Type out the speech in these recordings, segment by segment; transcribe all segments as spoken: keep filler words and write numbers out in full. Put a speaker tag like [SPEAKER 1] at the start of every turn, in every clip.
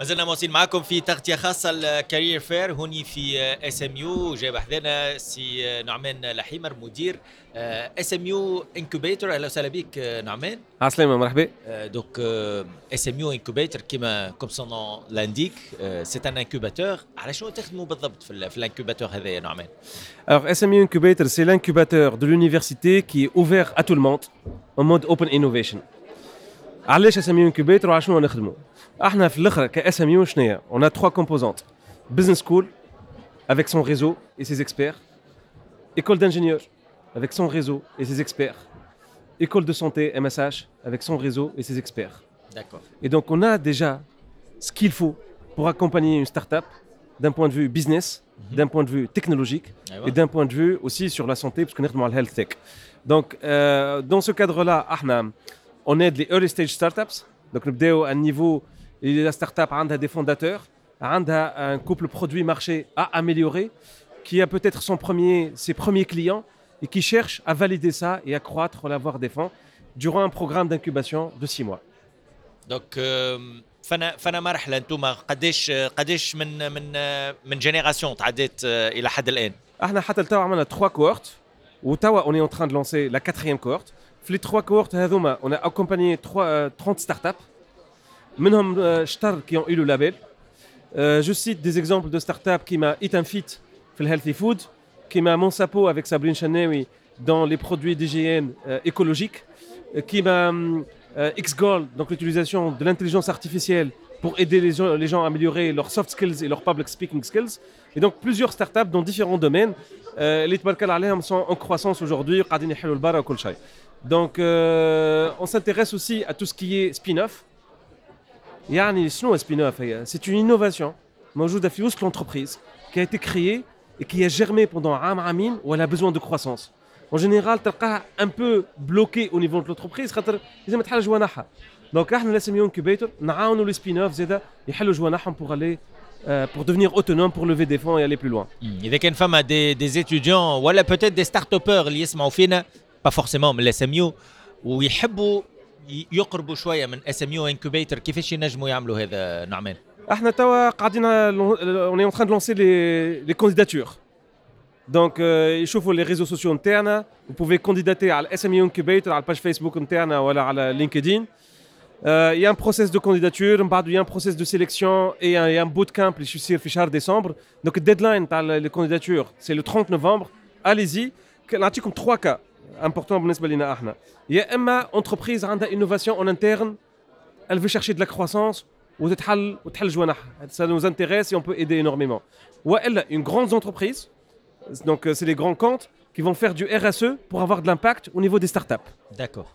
[SPEAKER 1] ما زلنا مواصلين معكم في تغطيه خاصه ال career fair هوني في S M U. جايب حذانا سي نعمان لحيمر، مدير S M U Incubator. اهلا وسهلا بك نعمان.
[SPEAKER 2] عسلامة، مرحبا.
[SPEAKER 1] Donc S M U Incubator، كيما comme son nom l'indique, c'est un incubateur. على شنو تخدموا بالضبط في, في ال incubateur هذا يا نعمان؟
[SPEAKER 2] Alors S M U Incubator, c'est l'incubateur de l'université qui est ouvert à tout le monde en mode open innovation. علاش S M U Incubator وعلى شنو نخدموا؟ احنا في الاخر ك S M U شنو؟ On a trois composantes. Business School avec son réseau et ses experts, école d'ingénieurs avec son réseau et ses experts, école de santé M S H avec son réseau et ses experts.
[SPEAKER 1] D'accord.
[SPEAKER 2] Et donc on a déjà ce qu'il faut pour accompagner une start-up d'un point de vue business, mm -hmm. d'un point de vue technologique et d'un point de vue aussi sur la santé, parce qu'on est dans le health tech. Donc euh, dans ce cadre-là, احنا on aide les early stage startups. Donc نبداو à un niveau la startup a des fondateurs, a un couple produit marché à améliorer, qui a peut-être son premier, ses premiers clients et qui cherche à valider ça et à croître, à avoir des fonds durant un programme d'incubation de six mois.
[SPEAKER 1] Donc فانا فانا مرحله انتم قداش قداش من من من génération تعديت الى حد الان؟
[SPEAKER 2] احنا حتى لتوا عملنا trois cohortes وتوا on est en train de lancer la quatrième cohorte. في les trois cohortes هذوما on a accompagné trois, trente startups، منهم شطر qui ont eu le label. Euh, je cite des exemples de startups كيما Eat and Fit في ال healthy food، كيما Monsapo avec Sabrine Channaoui dans les produits d'hygiène euh, écologique, كيما euh, X-Gold, donc l'utilisation de l'intelligence artificielle pour aider les gens, les gens à améliorer leurs soft skills et leurs public speaking skills. Et donc plusieurs startups dans différents domaines, اللي تبارك الله عليهم sont en croissance aujourd'hui, قاعدين يحلوا البرا وكل شيء. Donc euh, on s'intéresse aussi à tout ce qui est spin-off. يعني شنو spin-off هي؟ C'est une innovation موجودة في وسط l'entreprise qui a été créée et qui a germé pendant عام عامين où elle a besoin de croissance. En général تلقاها un peu bloquée au niveau de l'entreprise خاطر لازم تحل جوانحها. Donc احنا S M U Incubator نعاونوا les spin-off زاده يحلوا جوانحهم pour aller euh, pour devenir autonome, pour lever des fonds et aller plus loin.
[SPEAKER 1] اذا كان فما des des étudiants ولا peut-être des startuppeurs اللي يسمعوا فينا، pas forcément من ال S M U، ويحبوا يقربوا شويه من S M U Incubator، كيفاش ينجموا يعملوا هذا نعمان؟
[SPEAKER 2] احنا توا قاعدين on est en train de lancer les les candidatures. Donc يشوفوا les réseaux sociaux نتاعنا، vous pouvez candidater على S M U Incubator على ال page Facebook نتاعنا ولا على LinkedIn. Euh, il y a un process de candidature, من بعد il y a un process de sélection et un, il y a un bootcamp اللي يصير في شهر décembre. Donc le deadline تاع les candidatures, c'est le trente novembre. Allez-y. نعطيكم trois cas importants بالنسبة لنا احنا. يا اما entreprise عندها innovation en interne, elle veut chercher de la croissance وتتحل وتحل جوانحها. Ça nous intéresse et on peut aider énormément. والا une grande entreprise, donc c'est les grands comptes qui vont faire du R S E pour avoir de l'impact au niveau des startups.
[SPEAKER 1] D'accord.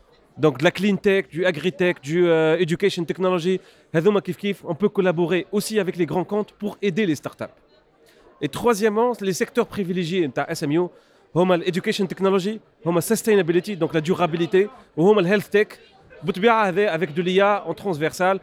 [SPEAKER 2] Donc de la clean tech, du agri-tech, du euh, education technology, هذوما كيف كيف, on peut collaborer aussi avec les grands comptes pour aider les startups. Et troisièmement, les secteurs privilégiés نتاع S M U هما education technology، هما sustainability, donc la durabilité، وهما ال health tech. بالطبيعة هذا avec de l'I A en transversal,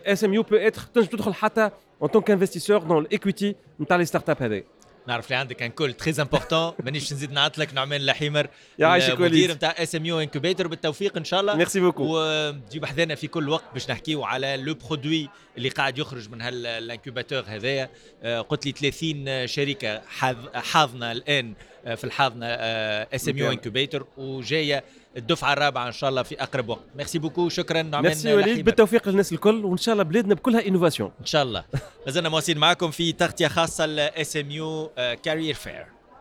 [SPEAKER 2] S M U peut être تنجم تدخل حتى en tant qu'investisseur dans l'equity نتاع les startups هذا.
[SPEAKER 1] نعرف اللي عندك un call très important، مانيش نزيد نعطلك. نعمان لحيمر،
[SPEAKER 2] يعيشك.
[SPEAKER 1] المدير نتاع S M U Incubator، بالتوفيق ان شاء الله.
[SPEAKER 2] Merci beaucoup.
[SPEAKER 1] وتجيب حذانا في كل وقت باش نحكيو على le produit اللي قاعد يخرج من هال incubateur هذايا. آه، قلت لي ثلاثين شركه حاضنه الان آه، في الحاضنه S M U Incubator، وجايه الدفعه الرابعه ان شاء الله في اقرب وقت. Merci beaucoup، شكرا نعمان.
[SPEAKER 2] ميرسي وليد، بالتوفيق للناس الكل وان شاء الله بلادنا بكلها innovation.
[SPEAKER 1] ان شاء الله. مازلنا مواصلين معكم في تغطيه خاصه ل S M U Career Fair.